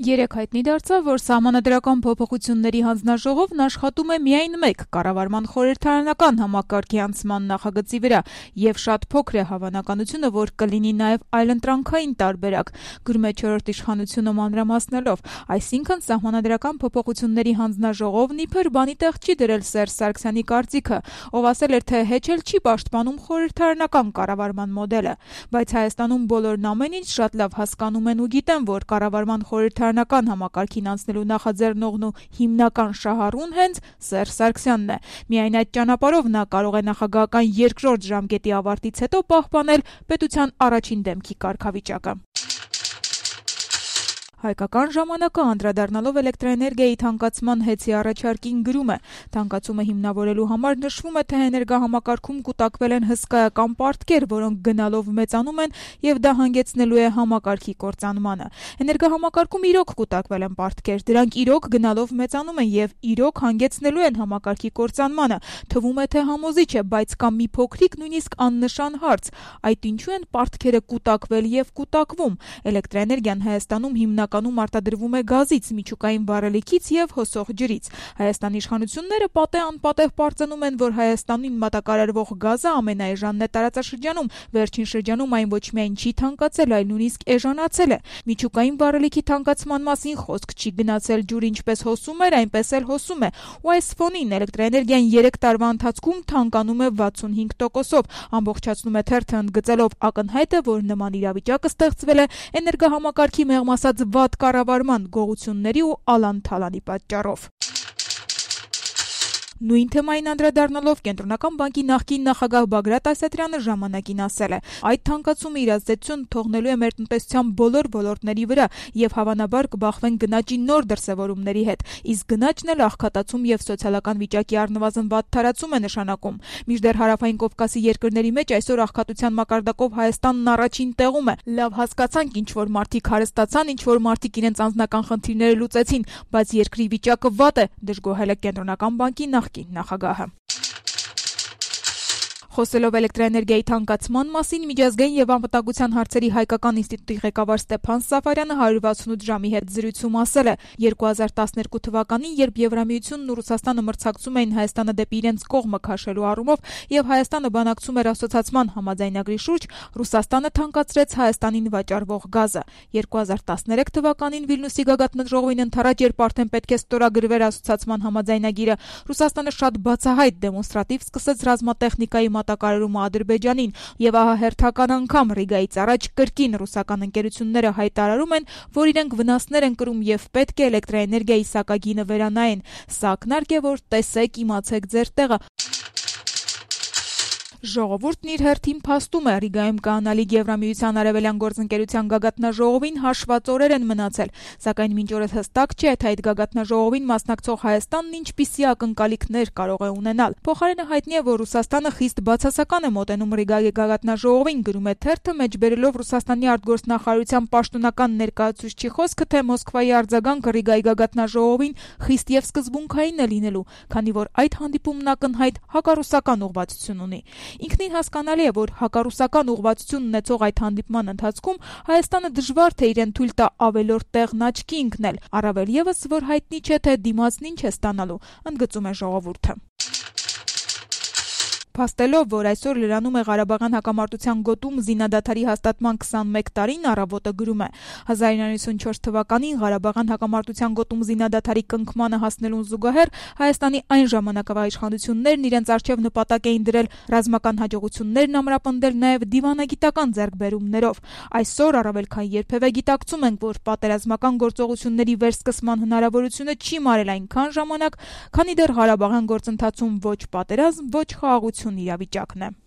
Երեկ հայտնի դարձավ, որ Սահմանադրական փոփոխությունների հանձնաժողովն աշխատում է միայն մեկ կառավարման խորհրդարանական համակարգի անցման նախագծի վրա, եւ շատ փոքր է հավանականությունը, որ կլինի նաեւ այլընտրանքային տարբերակ, գրում է «Չորրորդ իշխանությունը» մանրամասնելով, այսինքն Սահմանադրական փոփոխությունների հանձնաժողովն իբր բանի տեղ չի դրել Սերժ Սարգսյանի կարծիքը, ով ասել էր, թե հեչ էլ չի պաշտպանում խորհրդարանական կառավարման մոդելը, բայց Հայաստանում բոլորն ամեն ինչ շատ լավ հասկանում են ու գիտեն, որ կառավարման խորհրդարանական համակարգին անցնելու նախաձեռնողն ու հիմնական շահառուն հենց Սերժ Սարգսյանն է։ Միայն այդ ճանապարհով նա կարող է նախագահական երկրորդ ժամկետի ավարտից հետո պահպանել պետության առաջին դեմքի կարգավիճակը։ Հայկական ժամանակը անդրադառնալով էլեկտրաէներգիայի թանկացման հեծի առաջարկին գրում է. թանկացումը հիմնավորելու համար նշվում է, թե էներգահամակարգում կուտակվել են հսկայական պարտքեր, որոնք գնալով մեծանում են եւ դա հանգեցնելու է համակարգի կործանմանը։ Էներգահամակարգում իրոք կուտակվել են պարտքեր, դրանք իրոք գնալով մեծանում են եւ իրոք հանգեցնելու են համակարգի կործանմանը։ Թվում է, թե համոզիչ է, բայց կա մի փոքրիկ նույնիսկ աննշան հարց. այդ ինչու են պարտքերը կուտակվել եւ կուտակվում։ Էլեկտրաէներգիան Հայաստանում հիմնական արտադրվում է գազից, միջուկային վառելիքից եւ հոսող ջրից։ Հայաստանի իշխանությունները պատե-անպատեհ պարծենում են, որ Հայաստանին մատակարարվող գազը ամենաէժանն է տարածաշրջանում, վերջին շրջանում այն ոչ միայն չի թանկացել, այլ նույնիսկ էժանացել է։ Միջուկային վառելիքի թանկացման մասին խոսք չի գնացել, ջուրը ինչպես հոսում էր, այնպես էլ հոսում է։ Ու այս ֆոնին էլեկտրաէներգիան 3 տարվա ընթացքում թանկանում է 65%-ով։ Ամբողջացնում է թերթը ընդգծելով ակնհայտ է, որ նման իրավիճակը ստեղծվել է էներգահամակարգի մեղմ ասած վատ կառավարման, գողությունների ու ալան-թալանի պատճառով։ Նույն թեմային անդրադառնալով Կենտրոնական բանկի նախկին նախագահ Բագրատ Ասատրյանը ժամանակին ասել է. այդ թանկացումը իր ազդեցությունը թողնելու է մեր տնտեսության բոլոր ոլորտների վրա եւ հավանաբար կբախվեն գնաճի նոր դրսեւորումների հետ, իսկ գնաճն էլ աղքատացում եւ սոցիալական վիճակի առնվազն վատ թարացում է նշանակում։ Մինչդեռ Հարավային Կովկասի երկրների մեջ այսօր աղքատության մակարդակով Հայաստանն առաջին տեղում է։ Լավ հասկացանք, ինչ որ մարդիկ հարստացան, ինչ որ մարդիկ իրենց անձնական խնդիրները լուծեցին, բայց երկրի վիճակը վատ է, դժգոհել է Կենտրոնական բանկի նախկին նախագահը։ Խոսելով էլեկտրաէներգիայի թանկացման մասին, միջազգային եւ անվտանգության հարցերի հայկական ինստիտուտի ղեկավար Ստեփան Սաֆարյանը 168 ժամի հետ զրույցում ասել է. 2012 թվականին, երբ Եվրամիությունն ու Ռուսաստանը մրցակցում էին Հայաստանը դեպի իրենց կողմը քաշելու առումով եւ Հայաստանը բանակցում էր ասոցիացման համաձայնագրի շուրջ, Ռուսաստանը թանկացրեց Հայաստանին վաճառվող գազը։ 2013 թվականին Վիլնյուսի գագաթնաժողովին ընդառաջ, երբ արդեն պետք է ստորագրվեր ասոցիացման համաձայնագիրը, Ռուսաստանը շատ բացահայտ դեմոնստրատիվ սկսեց ռազմատեխնիկայի մատակարարումը Ադրբեջանին, եւ ահա հերթական անգամ Ռիգայից առաջ կրկին ռուսական ընկերությունները հայտարարում են, որ իրենք վնասներ են կրում եւ պետք է էլեկտրաէներգիայի սակագինը վերանայեն։ Սա ակնարկ է, որ տեսեք, իմացեք ձեր տեղը։ Ժողովուրդն իր հերթին փաստում է, Ռիգայում կանալիք Եվրամիության արևելյան գործընկերության գագաթնաժողովին հաշված օրեր են մնացել, սակայն մինչ օրս հստակ չէ, թե այդ գագաթնաժողովին մասնակցող Հայաստանն ինչպիսի ակնկալիքներ կարող է ունենալ։ Փոխարենը հայտնի է, որ Ռուսաստանը խիստ բացասական է մոտենում Ռիգայի գագաթնաժողովին, գրում է թերթը, մեջբերելով Ռուսաստանի արտգործնախարարության պաշտոնական ներկայացուցչի խոսքը, թե Մոսկվայի արձագանքը Ռիգայի գագաթնաժողովին խիստ եւ սկզբունքային է լինելու, քանի որ այդ հանդիպումն ակնհայտ հակառուսական ուղղվածություն ունի։ Ինքնին հասկանալի է, որ հակառուսական ուղղվածություն ունեցող այդ հանդիպման ընթացքում Հայաստանը դժվար թե իրեն թույլ տա ավելորդ տեղն աչքի ընկնել, առավել եւս, որ հայտնի չէ, թե դիմացն ինչ է ստանալու, ընդգծում է ժողովուրդը։ Փաստելով, որ այսօր լրանում է Ղարաբաղյան հակամարտության գոտում զինադադարի հաստատման 21 տարին, Առավոտը գրում է. 1994 թվականին Ղարաբաղյան հակամարտության գոտում զինադադարի կնքմանը հասնելուն զուգահեռ Հայաստանի այն ժամանակվա իշխանություններն իրենց արչև նպատակ էին դրել ռազմական հաջողություններն ամրապնդել նաև դիվանագիտական ձեռքբերումներով։ Այսօր առավել քան երբևէ գիտակցում ենք, որ պատերազմական գործողությունների վերսկսման հնարավորությունը չի մարել այնքան ժամանակ, քանի դեռ Ղարաբաղյան գործընթացում ոչ պատերազմ, ոչ խաղաղություն իրավիճակն է։